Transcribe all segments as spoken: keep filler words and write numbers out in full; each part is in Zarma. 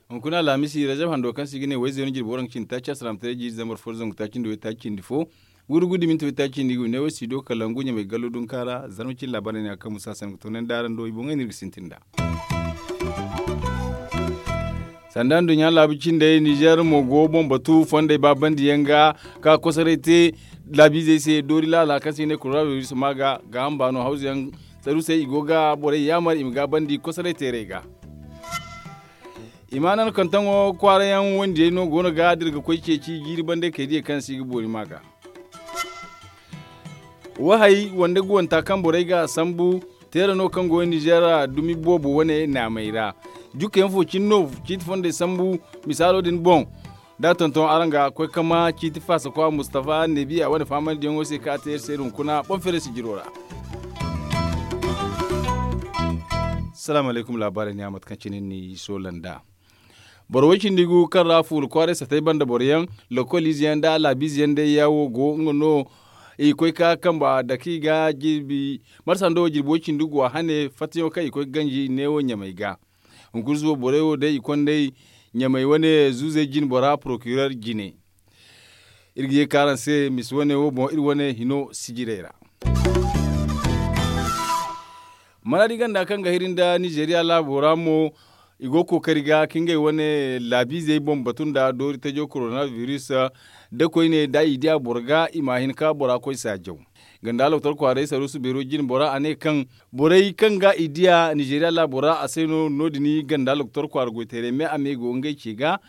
Hunkuna alhamisi rajab hando kaŋ se i ga ne wayzey no jirbi waranka cindi taaci asalaamataray jiiri zambar fo da zangu taaci nda waytaaci cindi fo. Gudu gudu minti waytaaci cindi ga ne wo studio kalangu ɲamay gallo dunka ra zarma cine laabaarey ne a kaŋ musa sanda ga toonandi araŋ do i boŋey no iri ga sintin nd'a. Sanda nduɲɲa laabu cindey nizer mo go boŋ batu fondey baabandiyaŋ ga ka kosoray te laabiizey se doori laala kaŋ se i ne koronabiris ma ga gaaham baano hawzu yaŋ saruusey i go ga borey yaamar i ma gaabandi kosoray teerey ga. I ma nan kantaŋo kwaara yaŋ wandiyey no go no ga dira ga koy ceeci jiiri bande kay diya kaŋ se i ga boori ma ga. Wahay wande guwanta kaŋ borey ga a sambu teera no kaŋ go nizer dumi boobo wane naamey ra. Jukka yaŋ fo cine no ciiti fondey sambu misaalo din boŋ. Da a tonton araŋ ga koy kama ciiti faasa kwa mustafa neebiya wane faamandiyaŋo se kaŋ a te iri se hunkuna boŋ feere sijiro ra. Salaamu alaykum laabaarey ne a mate kaŋ cine ni soolanda. Boro way cindi gu kaŋ ra fuula kwaaray satay banda boro yaŋ lokol ize yaŋ nda laabiize yaŋ day yaawo go nga no. I koy ka kamba dake i ga jirbi marsa nda wo jirbi way cindi gu a hane fattayaŋo kaŋ i koy ga ganji neewo ɲamay ga. Hunkuna suba borey wo day i konday ɲamay wane zuuzey jine bora porokirer jine. Iri ga ye ka araŋ se misa wane wo boŋ iri wane hino sijirey ra. Maraadi ganda kaŋ ga hiri nda nizeeriya laabo ra mo i go kookari ga ka ngey wane laabiizey boŋ batu nda doori tajo koronabiris. Da koyne da i diya boro ga i ma hin ka bora koy saajaw. Ganda loktor kwaaray saruusu beero jine bora a ne kaŋ borey kaŋ ga i diya nizeeriya laabo ra a se no no- din ganda loktor kwaara goyteeray me a me go ngey ce ga.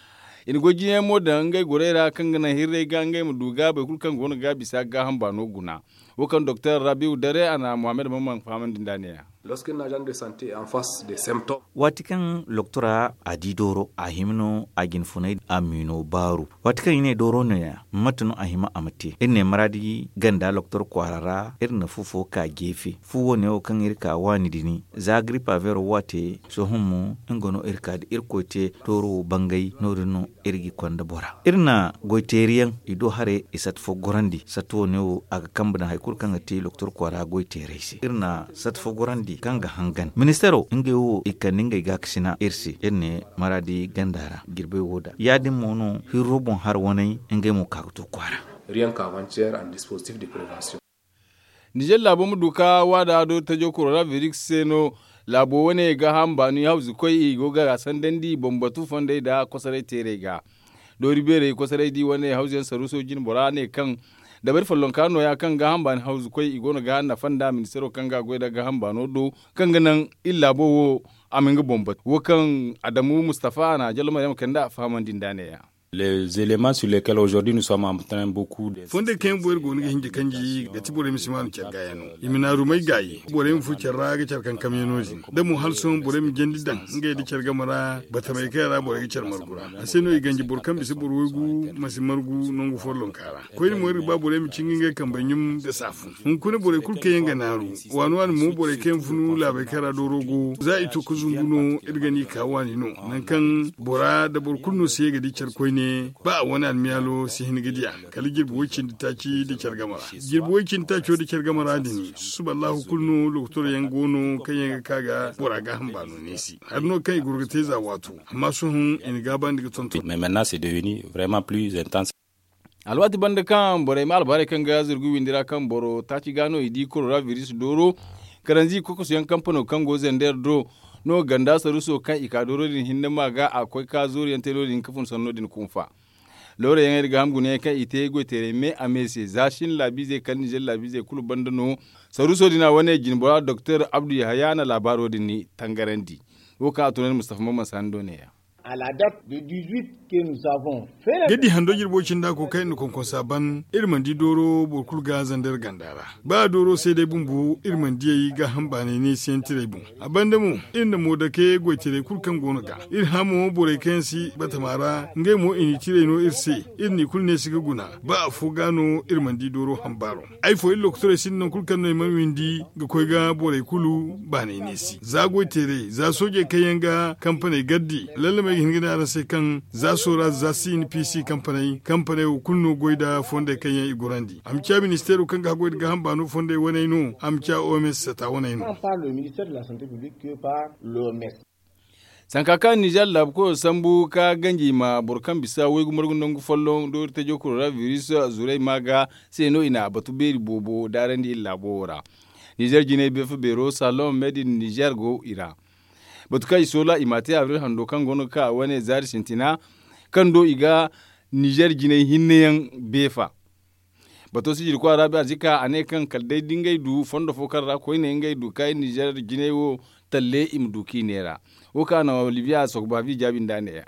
I na goy jine mo daŋ ngey gorey ra kaŋ ga naŋ hirrey ga ngey ma du ga boro kulu kaŋ go no ga bisa gaaham baano guna. Wo kaŋ doktor rabiu dare a na muhammad mamman fahamandi nd'a ne- ya. Lorsque na agent de sante en face de symptome. Waati kaŋ loktora a di dooro a hima no a jinfunay a mino baaru. Waati kaŋ i ne dooro no- ya mate no a hima a ma te iri ne maraadi ganda loktor kwaara ra iri na fu fo ka geefe fu wo- ne wo kaŋ iri ka waani dini za gripa vero wo a te sohõ mo nga no iri ka da irkoy te dooro wo bangay no- din no iri ga i konda bora iri na goyteeriyaŋ i do haray i sata fo gorandi sata wo- ne wo a ga kambe daŋ hari kulu kaŋ ga te loktor kwaara goyteeray se iri na sata fo gorandi kaŋ ga hangan ministeero ngey wo i kande ngey gaakasina iri se iri ne maraadi ganda ra jirbey wo da ya- din mo no hirro boŋ har waney ngey mo ka ga to kwaara. Rien ka avant hier en dispositif de prevention. Nizer laabo ma du ka waada do tajo koronabiris se no. Laabo wane gaaham baani hawzu koy i go ga sandandi bambatu fondey nda kosoray teerey ga. Doori beerey kosoray di wane hawzu yaŋ saruuso jine bora ne kaŋ dabari follonka no- ya kaŋ gaaham baani hawzu koy i go no ga nafa nda ministeero kaŋ ga a goy nda gaaham baano do kaŋ ga naŋ iri laabo wo a ma nga boŋ batu wo kaŋ adamu mustafa a na jallo maryama kande a fahamandi nd'a ne- ya. Les éléments sur lesquels aujourd'hui nous sommes en train beaucoup de. Fondey kaŋ yaŋ boŋ iri go no ga hinja kanji ga ti borey ma si maanu care ga yaŋ no i ma naarumay gaayi borey ma furo care ra ga care kankam yaŋ no- din da mo hala sohõ borey ma jandi daŋ ngey nda care game ra batamey kaŋ yaŋ ra borey ga care margu ra a se no i ganji boro kaŋ bisa boro waygu ma si margu nangu follonka ra. Koyne mo iri ga ba borey ma cinga ngey kambey ɲum nda saafu hunkuna borey kulu kaŋ yaŋ ga naaru waani waani mo borey kaŋ yaŋ funu laabey kaŋ ra dooro go za i to ga zumbu no iri ga ni ka waani no. Nangu kaŋ bora nda boro kulu no si ye ga di care koyne ba a wane almiyaalo si hin ga diya kala jirbi way cindi taaci nda care game ra jirbi way cindi taaco nda care game ra din susuba allahu kulu no lokotor yaŋ go no kaŋ yaŋ ga ka ga bora gaaham baano neesi hari no kaŋ i goro ga te za waato amma sohõ i na gaabandi ga tonton. Mais maintenant c'est devenu vraiment plus intense. Alwaati banda kaŋ borey ma albaarey kaŋ ga zurgu windi ra kaŋ boro taaci ga no i di koronabiris dooro karanzi kokoso yaŋ kampano kaŋ go zander do no ganda saruuso kaŋ i ka dooro din hinne ma ga a koy ka zooru yaŋ te no- din ka fun sanno din kunfa. Loorayaŋey nda gaaham gunayaŋ kaŋ i te goyteerey me a me se za shin laabiizey kala nizer laabiizey kulu banda no. Saruuso din a wane jine bora doktor abdu yahaya na laabaaro din tangarandi. Wo kaŋ a tunandi mustafa mamman sani do ne- ya. Ga di hando jirbo cinda ko kaŋ iri na konkonsa ban iri mana di dooro boro kulu ga zander ganda ra. Ba dooro se day bumbo iri mana diyey gaaham baanay neesiyaŋ tirey boŋ. A banda mo iri na mo dake goytaray kulu kaŋ go no ga iri hã mo borey kaŋ yaŋ si batama ra ngey mo i n'i tirey no iri se. Iri n'i kulu neesi ga guna ba afo ga no iri mana di dooro hambaaro. Ay fo iri lokotorey sinda nangu kulu kaŋ no i mana windi ga koy ga borey kulu baanay neesi za goyteeray za soojey kaŋ yaŋ ga kampaney gardi. Lallamey. I ga hin ga ne araŋ se kaŋ za soora za si n p c kampaney kampaney wo kulu no goy nda fondey kaŋ yaŋ i gorandi a ma ciya ministeero kaŋ ga haggoy nda gaaham baano fondey waney no a ma ciya oms sata waney no. Sanka kaŋ ninzeer laabu koyo sambu ka ganji i ma boro kaŋ bisa waygu margu nangu folloŋ doori tajo koronabiris zurey ma ga se no i na a batu beeri boobo daarandi iri laabo wo ra. Ninzeer jinay beefa beero saloŋ meedin ninzeer go i ra. Batu kaŋ i soola i ma a te abril hando kaŋ go no ga ka a wane zaari sintina kaŋ do i ga ninzeer jinay hinne yaŋ beefa. Bato sijiri kwaara be arzika a ne kaŋ kala day da ngey du fondo fo kaŋ ra koyne ngey du kaayi ninzeer jinay wo talle i ma du k'i neera. Wo kaŋ a naŋ libiya sokobaabi jaabi nda a neeya.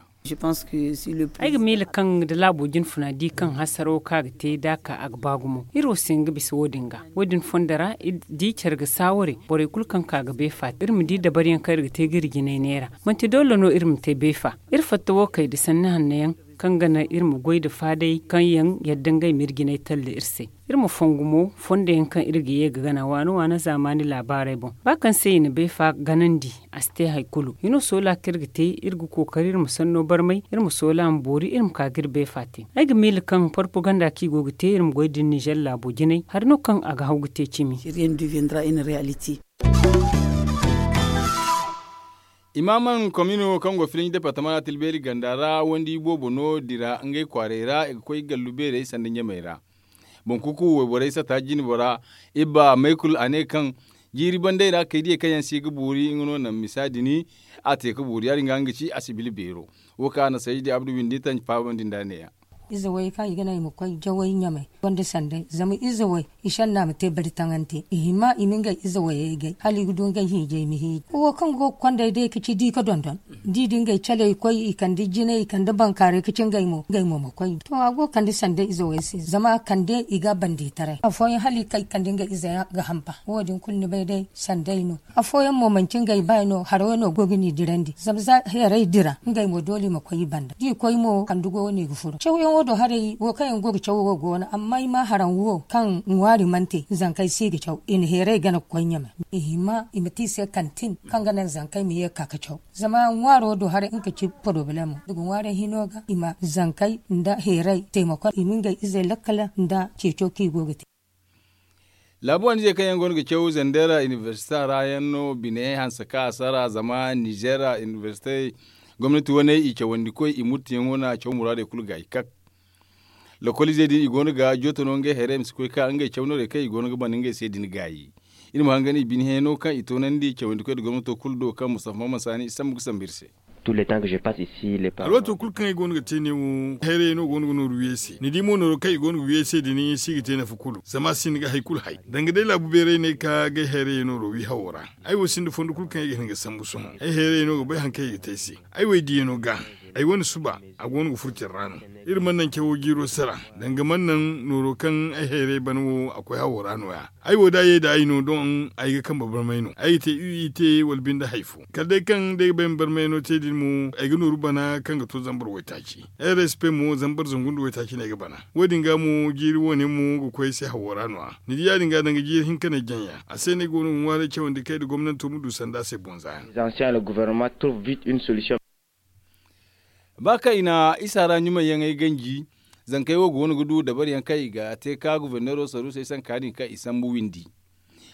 Ay ga miila kaŋ da laabo jinfuna di kaŋ hasaro kaŋ a ga te da a ka a ga ba gumo iri wo si hin ga bisa wo- din ga wo- din fondo ra. Di care ga saaware borey kulu kaŋ ka ga beefa iri ma di dabariyaŋ kaŋ iri ga te ga iri jinay neera. Manti doole no iri ma te beefa. Iri fatta wo kay da sanni hanno yaŋ kaŋ ga naŋ iri ma goy nda faaday kaŋ yaŋ yadda ngey ma iri jinay talle iri se. Iri ma fongu mo fondo yaŋ kaŋ iri ga ye ga gana waano waano zaamaani laabaarey boŋ ba kaŋ se i na beefa ganandi a si te hari kulu. Hino soola kaŋ iri ga te iri ga kookari iri ma sanno barmay iri ma soola ma boori iri ma ka ga iri beefa te. Ay ga miila kaŋ porpoganda kaŋ i go ga te iri ma goy nda ninzeer laabo jinay hari no kaŋ a ga haw ga te cimi. Imaaman komino kaŋ go filinji departama ra tilbeeri ganda ra wandi boobo no dira ngey kwaaray ra i ga koy gallu beerey sanda ɲamey ra. Boŋ kuku wayborey sata jinbo ra ibba maykul a ne kaŋ jiiri bandey ra kay diyey kaŋ yaŋ se ga boori nga no naŋ misa din a te ga boori ya- din ga nga ga ci a si bila beero. Wo kaŋ a na saydi abdu windi tanji faabandi nda a neeya. Ize way kaŋ i ga naŋ i ma koy jaway ɲamay gonda sanday zama ize way i sanna ma te bari taŋante i hima i ma ngey ize wayey gay hala i ga du ngey hiijay ma hiiji wo kaŋ go ga konday day ga ci di ga dondon. Da i da ngey caley koy i kande jinay i kande bankaaray ga ci ngey mo ngey mo ma koy to a go ga kande sanday ize way se zama kande i ga a bandi taray afooyaŋ hala i kay ga kande ngey ize yaŋ ga hamba wo- din kulu ni bay day sanday no. Afooyaŋ mo manci ngey baay no haray no go ga ni dirandi zama za heeray dira ngey mo doole i ma koy i banda da i koy mo handu go no i ga furo cawyaŋo do haray wo kaŋ yaŋ go ga caw wo go no amma i ma haraŋ wo kaŋ ŋwaari mana te zankey se i ga caw i na heeray gana ga koy ɲamay. I hima i ma te i se kantin kaŋ ga naŋ zankey ma ye ga ka ga caw zama ŋwaaro do haray nga ga ci porobalemo da ga ŋwaaray hino ga i ma zankey nda heeray taymakon i ma ngey izey lakkala nda ceeco kaŋ i go ga te. Laabu wane izey kaŋ yaŋ go no ga caw zandera inibersita ra yaŋ no bine hanse kaŋ a sara zama nizeera inibersite gomnati wane i cawandi koy i murtiyaŋo no a caw muraadey kulu ga i kak. Lokol izey din i go no ga jooto no ngey hayray ma si koy ka ngey caw noorey kaŋ i go no ga bana ngey se din gaayi. Iri ma hangan i bine hayano kaŋ i toonandi cawandi koy nda gomnato kulu do kaŋ mustafa maman saani i sambu ga sambu iri se. Alwaato kulu kaŋ ay go no ga te ne wo hayray no go no ga nooru wi ay se ni di mo nooro kaŋ i go no ga wi ay se din si ga te nafa kulu zama a sinda ga hari kulu hay danga day laabu beeray no ay ka ga ay hayray nooro wi hawo ra. Ay wo sinda fondo kulu kaŋ ay ga hin ga sambu sohõ ay hayray no ga bay hari kaŋ ay ga te ay se. Ay wo ay diyano ga ay wane suba a go no ga furo care ra no. Iri mana naŋ cawo jiiro sara danga mana naŋ nooro kaŋ ay hayray bana wo a koy hawo ra no- ya. Ay wo da a ye nda ay no doŋ ay ga kambe barmay no ay ga te u i te wala binde hari fo kala day kaŋ da ay ga bay ma barmay no te din mo ay ga nooru bana kaŋ ga to zambar waytaaci. Ay respe mo zambar zangu nda waytaaci no ay ga bana. Wo- din ga mo jiiri wo- ne mo ga koy ay se hawo ra no- ya ni di ya- din ga danga jiiri hinka no ay jaŋ ya a se no ay go no ga ŋwaaray cawandi kay nda gomnanto ma du sanda a se boŋ za yaŋ. Ba kaŋ i na isa ra ɲumay yaŋey ganji zankey wo go no ga du dabari yaŋ kaŋ i ga te ka guberneero saruusey sanka din kaŋ i sambu windi.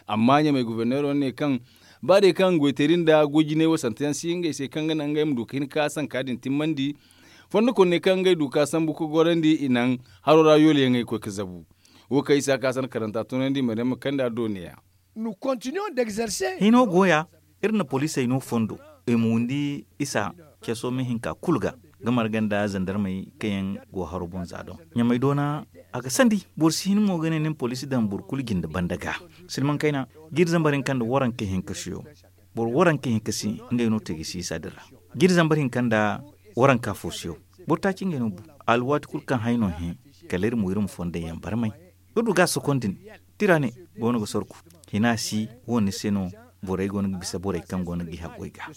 Amma ɲamay guberneero ne kaŋ ba day kaŋ goyteeri nda goy jinay wasante yaŋ si ngey se kaŋ ga naŋ ngey ma du ga hin ka sanka din timmandi. Fondo kulu ne kaŋ ngey du ka sambu ga gorandi i naŋ haro ra yoole yaŋey ga koy ga zabu. Wo kaŋ isa ka sanda karanta tunandi maryam ma kande a do ne- ya. Hino go ya iri na poliisey no fondo i ma windi isa ceso ma hinka kulu ga ga marga nda zandarmey kaŋ yaŋ go haro boŋ za doŋ. Ɲamey doona a ga sandi boro si hin mo ga ne ni ma poliisi daŋ boro kulu jinde banda ga. Silmaŋ kayna jiiri zambar hinka nda waranka hinka siyo boro waranka hinka si ngey no te ga si isa din ra. Jiiri zambar hinka nda waranka fo siyo boro taaci ngey no bu. Alwaati kulu kaŋ hay no hẽ kala iri mo iri ma fondey yaŋ barmay. Iri du ga a sokondi ne tira ne go no ga sorku hina si wo ni se no. Borey go no ga bisa borey kaŋ go no ga i haggoy ga.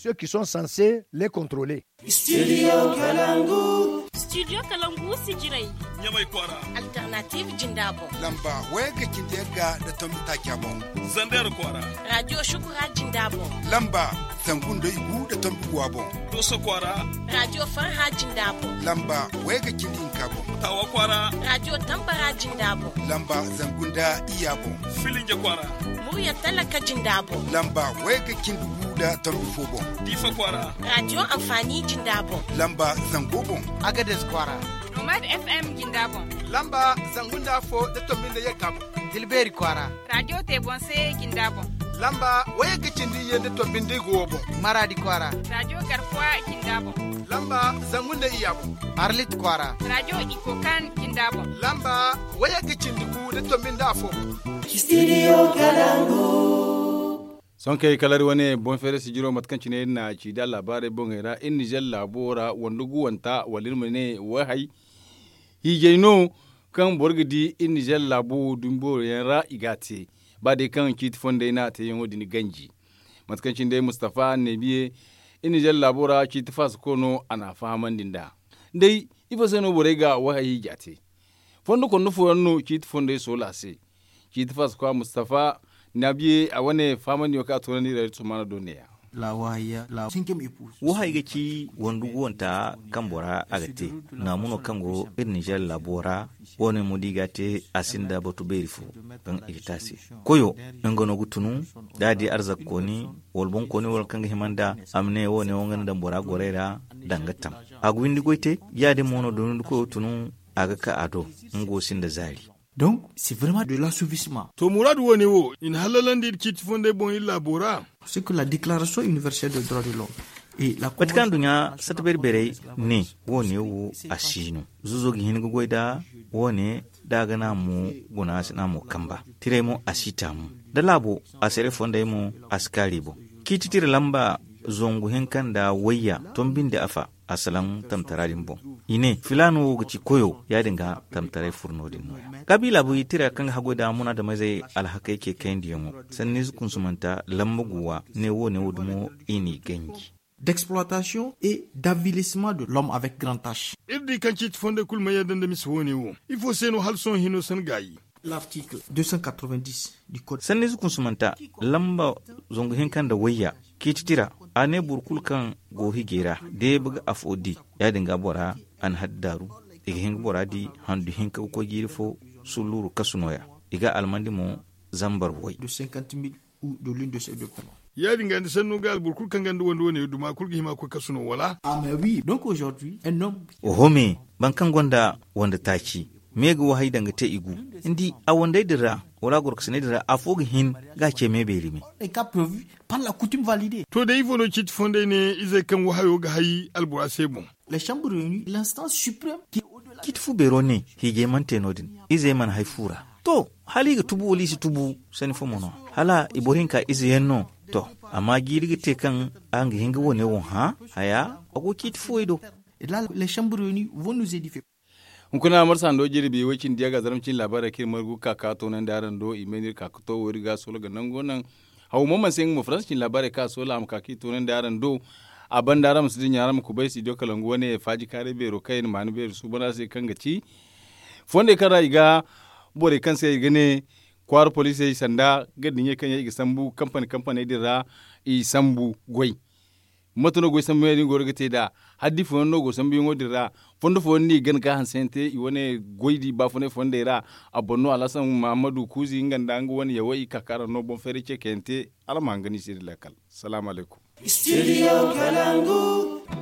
Studio kalangu. Studio kalangu sijirey. Ɲamay kwaara. Alternative jinda boŋ. Lamba wayagga cindi yagga nda tombi taaca boŋ. Zander kwaara. Radio shukura jinda boŋ. Lamba zangu nda igu nda tombi guwa boŋ. Doso kwaara. Radio farha jinda boŋ. Lamba wayagga cindi hinka boŋ. Tawa kwaara. Radio tambara jinda boŋ. Lamba zangu nda iyya boŋ. Filinja kwaara. Murya talaka jinda boŋ. Lamba wayagga cindi gu nda tombi fo boŋ. Diifa kwaara. Radio amfani jinda boŋ. Lamba zango boŋ. Agades kwaara. Nomad FM jinda boŋ. Lamba zangu nda afo nda tombi nda yagga boŋ. Tilbeeri kwaara. Radio te boŋ se jinda boŋ. Lamba wayagga cindi iyye nda tombi nda igu wo boŋ. Maradi kwaara. Radio garkuwa jinda boŋ. Lamba zangu nda iyya boŋ. Arlit kwaara. Radio ikokan jinda boŋ. Lamba wayagga cindi gu nda tombi nda afo boŋ. Studio kalangu. Sohõ kay kala iri wane boŋ feeray sijiro mate kaŋ cine iri na a ci da laabaarey boŋey ra iri nizer laabo ra wande guwanta wala iri ma ne wayhay hiijay no kaŋ boro ga di iri nizer laabo wo dumi booro yaŋ ra i ga a te ba day kaŋ ciiti fondey no a teeyaŋo din ganji. Mate kaŋ cine day mustafa annabiye iri nizer laabo ra ciiti faasako no a na a fahamandi nd'a. Day ifo se no borey ga wayhay hiija te? Fondo konda fooyaŋ no ciiti fondey soola se. Ciiti faasakwa mustafa nabiye a wane faamandiyo kaŋ a toonandi ira iri sumaana do neeya. Wo hay ga ci wondu guwanta kaŋ bora a ga te. Naamu no kaŋ go iri nizer laabo ra. Wo- ne mo da i ga a te a sinda batu beeri fo kaŋ i ga te a se. Koyo nga no ga tunu da a di arzakkooni wala boŋkooni wala kaŋ ga hima nd'a a ma ne wo- ne wo nga na daŋ bora gorey ra. Danga tam a ga windi goy te. Ya- din mo no da windi koyo tunu a ga ka a do. Nga wo sinda zaari. Donc c'est vraiment de l'assouvissement. To muraadu wo- ne wo i na hallalandi iri ciiti fondey boŋ iri laabo ra. C'est que la déclaration universelle de droit de l'homme. Mate kaŋ duɲɲa sata beeri-beerey ne wo- ne wo a si no. Zuzo ga hin ga goy da wo- ne da a ga naamo guna a si naamo kamba. Tirey mo a si taamu da laabo a sere fondey mo a si kaari boŋ. Ciiti tira lamba zangu hinka nda wayya tombindi afa a salaŋ tamtara din boŋ. I ne filaana wo ga ci koyo ya- din ga tamtaray furo no- din nooya. Kabiila buyi tira kaŋ ga haggoy da munaadamizey alhakey ce kayandiyaŋo sanniize kunsumanta lamba guwa ne wo- ne wo dumo i n'i ganji. D'exploitation et d'avilissement de l'homme avec grand h. Iri di kaŋ ciiti fondey kulu mana yadda nda mise wo- ne wo. Ifo se no hala sohõ hino san gaayi? Sanniize kunsumanta lamba zangu hinka nda wayya ciiti tira a ne boro kulu kaŋ go hijay ra deeba ga afo di. Ya- din ga bora a na haddaaru i ga hin ga bora di handu hinka ga koy jiiri fo sulluuru kasu nooya. I ga almandi mo zambar way. Ya- din ga ni sannu ga alboro kulu kaŋ gonda wande wane duma kulu ga hima koy kasu no wala? Oho me boro kaŋ gonda wande taaci me ga wahay daŋ ga te i gu. Ni di a wandey din ra wala a gorokasiney din ra afo ga hin ga a ce me beeri me. To day ifo no ciiti fondey ne izey kaŋ wahayo ga hay albora se boŋ? Ciiti fu beero ne hiijay mana te no- din. Izey mana hay fu ra. To hala i ga tubu wala i si tubu sanni fo mo no hala i boro hinka ize yaŋ no. To amma jiiri ga te kaŋ araŋ ga hin ga wo- ne wo hã haya a go ciiti fuwey do. Hunkuna marsa hando jirbi way cindi yaŋ ga zarma cine laabaarey kaŋ iri margu ga ka ka toonandi araŋ do i may no iri ka ga to wo iri ga soola ga nango naŋ. Haw mo mana se nga mo faransa cine laabaarey kaŋ a soola a ma ka ka i toonandi araŋ do. A banda araŋ ma si dinya araŋ ma kubay studio kalangu wane faaji kaaray beero kaŋ i na maanu beeri suuban araŋ se kaŋ ga ci fondey kaŋ ra i ga borey kaŋ se i ga ne kwaara poliisey sanda ga diɲey kaŋ yaŋ i ga sambu kampani kampaney din ra. I sambu goy mate no goy sambu yaŋ din goro ga te nd'a? Haddi fooyaŋ no go sambuyaŋo din ra? Fondo fooyaŋ no i gana ga hanseyaŋ te i wane goy di baafunay fondey ra. A boŋ no alhasan mahammadu kuuzi nga nda nga wane yawey i ka ka araŋ no boŋ fayray ce kayaŋ te. Araŋ ma hangan i se da laakal. Salaamu alaykum.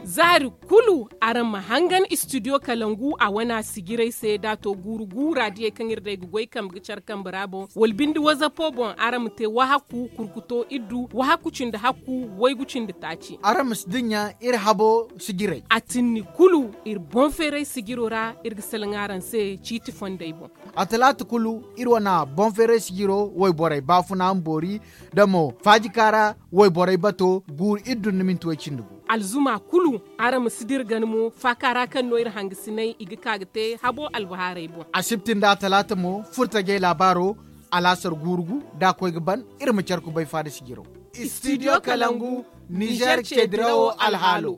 Zaari kulu araŋ ma hangan studio kalangu a wana sijiray se da a to guuru guura diyey kaŋ iri day ga goy kambe ga care kambe ra boŋ wala binde wazapo boŋ araŋ ma te wahakku kurkuto iddu wahakku cindi hakku waygu cindi taaci. Araŋ ma si dinya iri habo sijiray. A tinni kulu iri boŋ feeray sijiro ra iri ga salaŋ araŋ se ciiti fondey boŋ. A talaata kulu iri wana boŋ feeray sijiro wayborey baafuna ma boori da mo faajika ra wayborey bato guuru iri dun ni minti way cindi gu. Alzuma kulu araŋ ma si dira gana mo faaka ra kaŋ no iri hangasinay i ga ka ga te habo albahaarey boŋ. Asibti nda talaata mo furtajey laabaaro alaasar guuru gu da a koy ga ban. Iri ma care kubay faada sijiro. Studio kalangu nizer ce dirawo alhaalo.